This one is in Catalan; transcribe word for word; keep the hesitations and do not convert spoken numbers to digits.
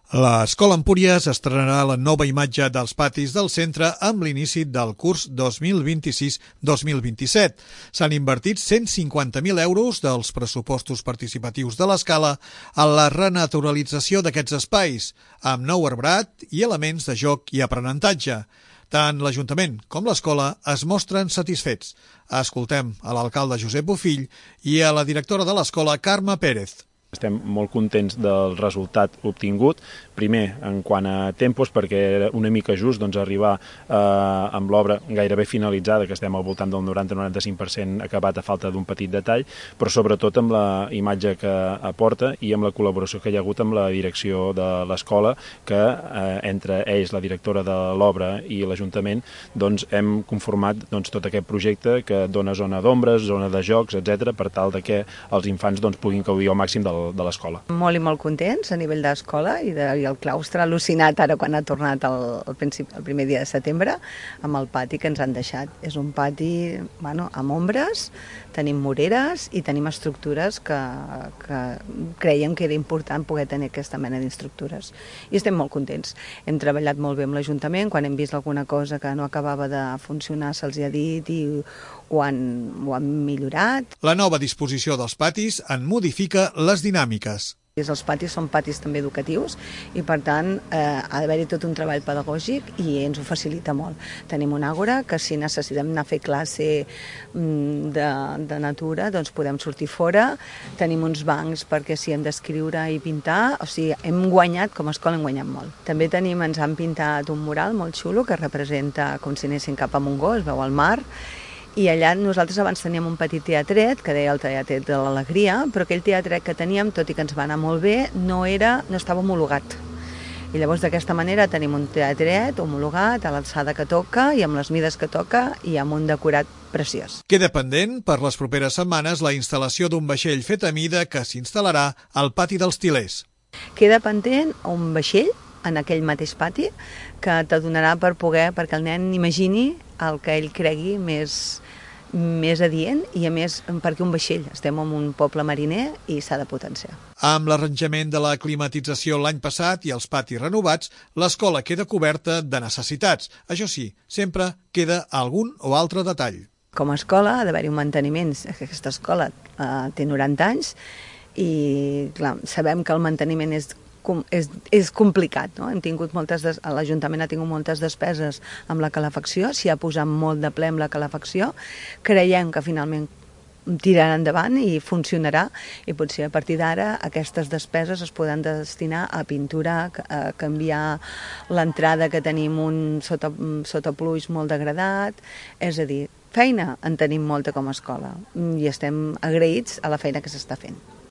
L'Escola Empúries estrenarà la nova imatge dels patis del centre amb l'inici del curs dos mil vint-i-sis dos mil vint-i-set. S'han invertit cent cinquanta mil euros dels pressupostos participatius de l'escala en la renaturalització d'aquests espais, amb nou arbrat i elements de joc i aprenentatge. Tant l'Ajuntament com l'escola es mostren satisfets. Escoltem a l'alcalde Josep Bofill i a la directora de l'escola, Carme Pérez. Estem molt contents del resultat obtingut, primer en quant a tempos, perquè era una mica just doncs, arribar eh, amb l'obra gairebé finalitzada, que estem al voltant del noranta a noranta-cinc per cent acabat a falta d'un petit detall, però sobretot amb la imatge que aporta i amb la col·laboració que hi ha hagut amb la direcció de l'escola, que eh, entre ells, la directora de l'obra i l'Ajuntament, doncs, hem conformat doncs, tot aquest projecte que dona zona d'ombres, zona de jocs, etcètera, per tal de que els infants doncs, puguin gaudir al màxim del de l'escola. Molt i molt contents a nivell d'escola i, de, i el claustre al·lucinat ara quan ha tornat el, el, principi, el primer dia de setembre amb el pati que ens han deixat. És un pati bueno, amb ombres, tenim moreres i tenim estructures que, que creiem que era important poder tenir aquesta mena d'inestructures. I estem molt contents. Hem treballat molt bé amb l'Ajuntament, quan hem vist alguna cosa que no acabava de funcionar se'ls ha dit i ho han, ho han millorat. La nova disposició dels patis en modifica les dinàmiques. Els patis són patis també educatius i per tant eh, ha d'haver-hi tot un treball pedagògic i ens ho facilita molt. Tenim un àgora que si necessitem anar a fer classe de, de natura doncs podem sortir fora, tenim uns bancs perquè si hem d'escriure i pintar, o sigui, hem guanyat, com a escola hem guanyat molt. També tenim, ens han pintat un mural molt xulo que representa com si anessin cap a Montgó, es veu al mar. I allà nosaltres abans teníem un petit teatret, que deia el teatret de l'Alegria, però aquell teatret que teníem, tot i que ens va anar molt bé, no, era, no estava homologat. I llavors d'aquesta manera tenim un teatret homologat a l'alçada que toca i amb les mides que toca i amb un decorat preciós. Queda pendent per les properes setmanes la instal·lació d'un vaixell fet a mida que s'instal·larà al pati dels Til·lers. Queda pendent un vaixell en aquell mateix pati que t'adonarà per poder, perquè el nen imagini el que ell cregui més, més adient i a més perquè un vaixell, estem en un poble mariner i s'ha de potenciar. Amb l'arranjament de la climatització l'any passat i els patis renovats, l'escola queda coberta de necessitats. Això sí, sempre queda algun o altre detall. Com a escola ha d'haver-hi un manteniment. Aquesta escola eh, té noranta anys i clar, sabem que el manteniment és És, és complicat, no? Hem tingut moltes des... L'Ajuntament ha tingut moltes despeses amb la calefacció, s'hi ha posat molt de ple amb la calefacció, creiem que finalment tirarà endavant i funcionarà i potser a partir d'ara aquestes despeses es poden destinar a pintura, a canviar l'entrada que tenim un sota, sota pluix molt degradat, és a dir, feina en tenim molta com a escola i estem agraïts a la feina que s'està fent.